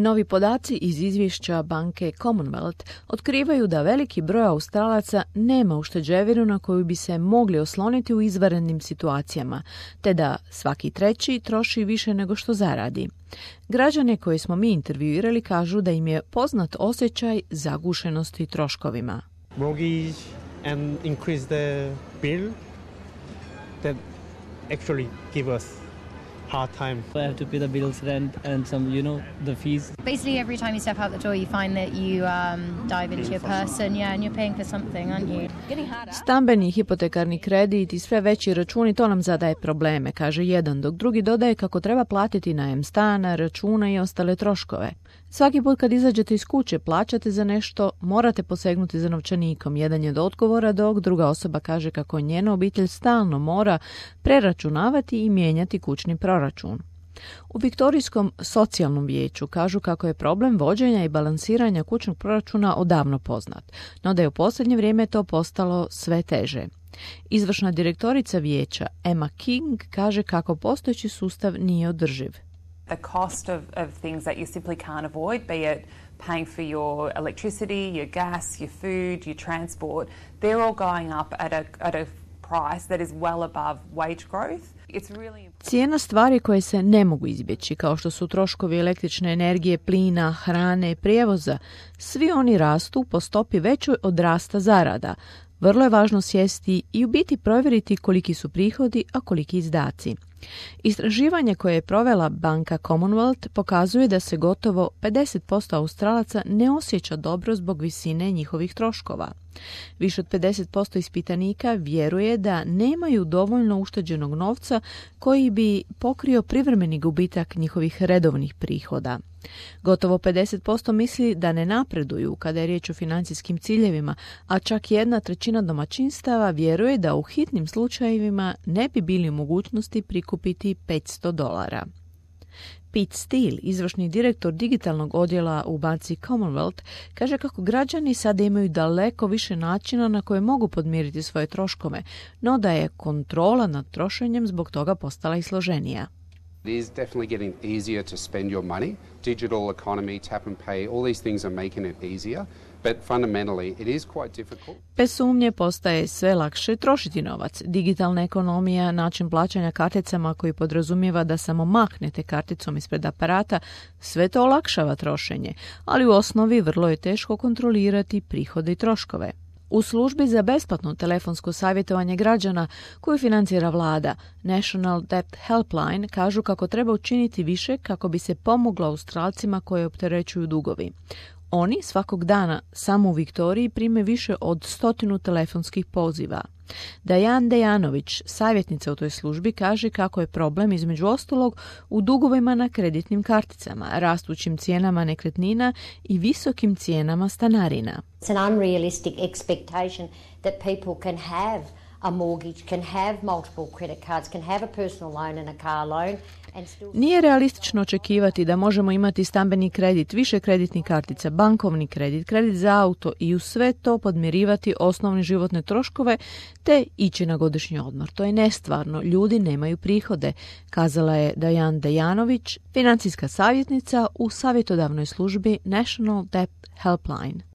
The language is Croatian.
Novi podaci iz izvješća banke Commonwealth otkrivaju da veliki broj Australaca nema ušteđevinu na koju bi se mogli osloniti u izvanrednim situacijama, te da svaki treći troši više nego što zaradi. Građane koje smo mi intervjuirali kažu da im je poznat osjećaj zagušenosti troškovima. Mortgage and increase the bill that actually give us hard time. I have to pay the bills, rent, and some, the fees. Basically, every time you step out the door, you find that you dive into your purse, and you're paying for something, aren't you? Stambeni, hipotekarni kredit i sve veći računi, to nam zadaje probleme, kaže jedan, dok drugi dodaje kako treba platiti najem stana, računa i ostale troškove. Svaki put kad izađete iz kuće, plaćate za nešto, morate posegnuti za novčanikom. Jedan je do odgovora, dok druga osoba kaže kako njena obitelj stalno mora preračunavati i mijenjati kućni proračun. U Viktorijskom socijalnom vijeću kažu kako je problem vođenja i balansiranja kućnog proračuna odavno poznat, no da je u posljednje vrijeme to postalo sve teže. Izvršna direktorica vijeća Emma King kaže kako postojeći sustav nije održiv. The cost of things that you simply can't avoid, be it paying for your electricity, your gas, your food, your transport, they're all going up at a price that is well above wage growth. Cijena stvari koje se ne mogu izbjeći, kao što su troškovi električne energije, plina, hrane, prijevoza, svi oni rastu po stopi većoj od rasta zarada. Vrlo je važno sjesti i u biti provjeriti koliki su prihodi, a koliki izdaci. Istraživanje koje je provela banka Commonwealth pokazuje da se gotovo 50% Australaca ne osjeća dobro zbog visine njihovih troškova. Više od 50% ispitanika vjeruje da nemaju dovoljno ušteđenog novca koji bi pokrio privremeni gubitak njihovih redovnih prihoda. Gotovo 50% misli da ne napreduju kada je riječ o financijskim ciljevima, a čak 1/3 domaćinstava vjeruje da u hitnim slučajevima ne bi bili u mogućnosti prikupiti $500. Pete Steele, izvršni direktor digitalnog odjela u banci Commonwealth, kaže kako građani sada imaju daleko više načina na koje mogu podmiriti svoje troškove, no da je kontrola nad trošenjem zbog toga postala i složenija. It is definitely getting easier to spend your money. Digital economy, tap and pay, all these things are making it easier. But fundamentally, it is quite difficult. Bez sumnje postaje sve lakše trošiti novac. Digitalna ekonomija, način plaćanja karticama koji podrazumijeva da samo mahnete karticom ispred aparata, sve to olakšava trošenje, ali u osnovi vrlo je teško kontrolirati prihode i troškove. U službi za besplatno telefonsko savjetovanje građana koju financira vlada, National Debt Helpline, kažu kako treba učiniti više kako bi se pomoglo Australcima koje opterećuju dugovi. Oni svakog dana samo u Viktoriji prime više od 100 telefonskih poziva. Dajan Dejanović, savjetnica u toj službi, kaže kako je problem između ostalog u dugovima na kreditnim karticama, rastućim cijenama nekretnina i visokim cijenama stanarina. It's an unrealistic expectation that people can have a mortgage, can have multiple credit cards, can have a personal loan and a car loan. Nije realistično očekivati da možemo imati stambeni kredit, više kreditnih kartica, bankovni kredit, kredit za auto i u sve to podmirivati osnovne životne troškove te ići na godišnji odmor. To je nestvarno, ljudi nemaju prihode, kazala je Dajan Dejanović, financijska savjetnica u savjetodavnoj službi National Debt Helpline.